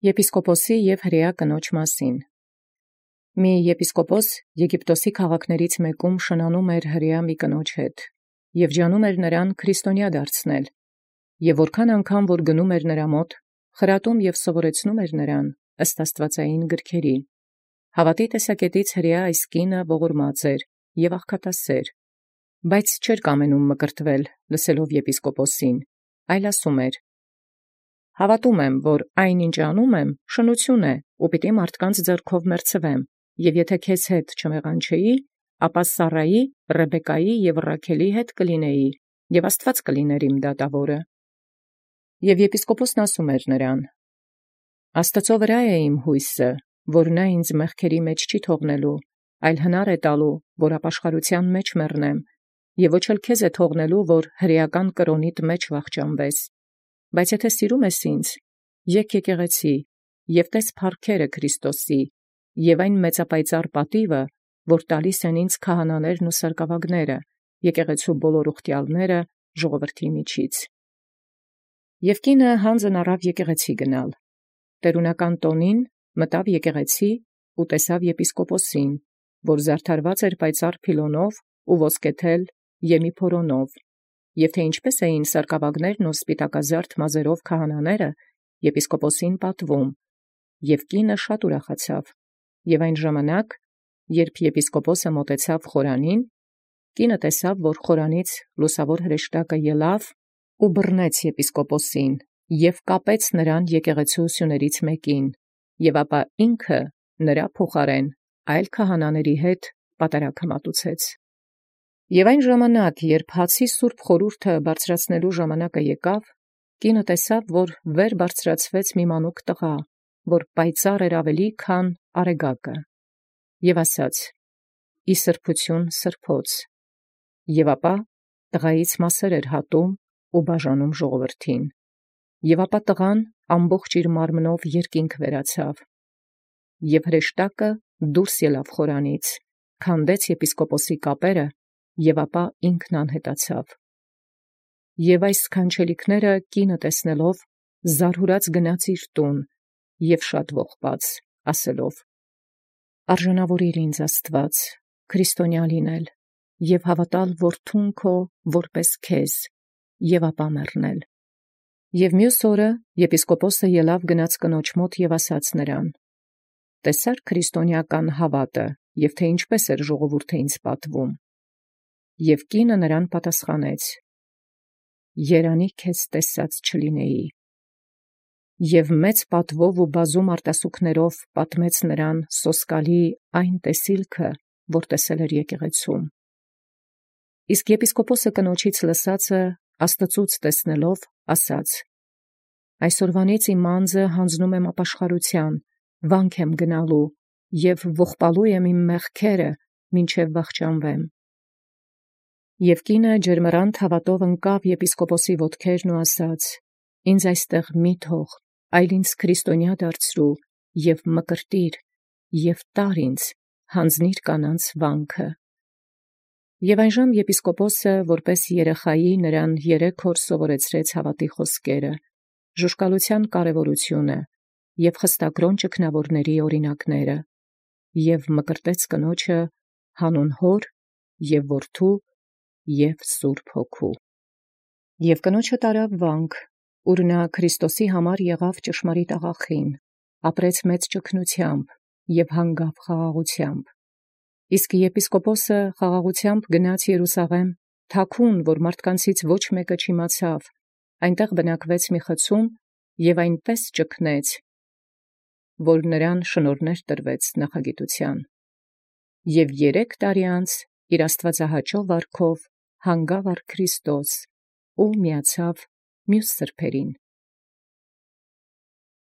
Եպիսկոպոսի և հրեա կնոջ մասին։ Մի եպիսկոպոս Եգիպտոսի քաղաքներից մեկում շնանում էր հրեա մի կնոջ հետ, և ջանում էր նրան քրիստոնյա դարձնել, և որքան անգամ որ գնում էր նրա մոտ, խրատում և սովորեցնում էր նրան ըստ աստվածային գրքերի։ Հավատի տեսակետից հրեա այս կինը ողորմած էր և աղքատասեր, բայց չէր կամենում մկրտվել լսելով եպիսկոպոսին, այլ ասում էր. «Հավատում եմ, որ այն ինչ անում եմ, շնություն է, ու պիտի մարդկանց ձեռքով մերձվեմ, և եթե քեզ հետ չմեղանչեի, ապա Սառայի, Ռեբեկայի և Ռաքելի հետ կլինեի, և Աստված կլիներ իմ դատավորը»։ Եվ եպիսկոպոսն ասում էր նրան. «Աստուծո վրա է իմ հույսը, որ նա ինձ մեղքերի մեջ չի թողնելու, այլ հնար է տալու, որ ապաշխարության մեջ մեռնեմ, և ոչ էլ քեզ է թողնելու, որ հրեական կրոնիդ մեջ վախճանվես. բայց եթե սիրում ես ինձ, եկ եկեղեցի, և տես փառքերը Քրիստոսի, և այն մեծապայծառ պատիվը, որ տալիս են ինձ քահանաներն ու սարկավագները, եկեղեցու բոլոր ուխտյալները ժողովրդի միջից»։ Եւ կինը հանձն առավ եկեղեցի գնալ։ Տերունական տոնին մտավ եկեղեցի ու տեսավ եպիսկոպոսին, որ զարդարված էր պայծառ փիլոնով ու ոսկեթել եմիփորոնով, և թե ինչպես էին սարկավագներն ու սպիտակազարդ մազերով քահանաները եպիսկոպոսին պատվում, և կինը շատ ուրախացավ, և այն ժամանակ, երբ եպիսկոպոսը մոտեցավ խորանին, կինը տեսավ, որ խորանից լուսավոր հրեշտակը ելավ ու բռնեց եպիսկոպոսին և կապեց նրան եկեղեցու սյուներից մեկին, և ապա ինքը նրա փոխարեն այլ քահանաների հետ պատարագը մատուցեց։ Եւ այն ժամանակ, երբ հացի սուրբ խորհուրդը բարձրացնելու ժամանակը եկավ, կինը տեսավ, որ վեր բարձրացվեց մի մանուկ տղա, որ պայծառ էր ավելի քան արեգակը, և ասաց. «Ի սրբութիւն սրբոց», և ապա տղայից մասեր էր հատում ու բաժանում ժողովրդին, և ապա տղան ամբողջ իր մարմնով երկինք վերացավ, և հրեշտակը դուրս ելավ խորանից, քանդեց եպիսկոպոսի կապերը, և ապա ինքն անհետացավ։ Եւ այս սքանչելիքները կինը տեսնելով զարհուրած գնաց իր տուն և շատ ողբաց, ասելով. «Արժանավորիր ինձ Աստված, քրիստոնյա լինել և հավատալ որդուն քո որպես քեզ, և ապա մեռնել»։ Եւ մյուս օրը եպիսկոպոսը ելավ գնաց կնոջ մոտ և ասաց նրան. «Տեսա՞ր քրիստոնեական հավատը, և թե ինչպես էր ժողովուրդը ինձ պատվում»։ Եւ կինը նրան պատասխանեց. «Երանի քեզ տեսած չլինեի»։ Եւ մեծ պատվով ու բազում արտասուքներով պատմեց նրան սոսկալի այն տեսիլքը, որ տեսել էր եկեղեցում։ Իսկ եպիսկոպոսը կնոջից լսածը Աստծուց տեսնելով ասաց. «Այսօրվանից իմ անձը հանձնում եմ ապաշխարության, վանք եմ գնալու և ողբալու եմ իմ մեղքերը, մինչև վախճանվեմ»։ Եւ կինը ջերմեռանդ հավատով ընկավ եպիսկոպոսի ոտքերն ու ասաց. «Ինձ այստեղ մի թող, այլ ինձ քրիստոնյա դարձրու և մկրտիր և տար ինձ, յանձնիր կանանց վանքը»։ Եւ այնժամ եպիսկոպոսը որպես երեխայի նրան 3 օր սովորեցրեց հավատի խոսքերը, ժուժկալության կարևորությունը և խստակրոն ճգնավորների օրինակները, և մկրտեց կնոջը հանուն Հոր և Որդու և Սուրբ Հոգու։ Եւ կնոջը տարավ վանք, ուր նա Քրիստոսի համար եղավ ճշմարիտ աղախին, ապրեց մեծ ճգնությամբ և հանգավ խաղաղությամբ։ Իսկ եպիսկոպոսը խաղաղությամբ գնաց Երուսաղեմ, թաքուն, որ մարդկանցից ոչ մեկը չիմացավ, այնտեղ բնակվեց մի խցում և այնպես ճգնեց, որ նրան շնորհներ տրվեց նախագիտության։ Եւ 3 տարի անց իր աստվածահաճո վարքով հանգավ առ Քրիստոս ու միացավ մյուս սրբերին։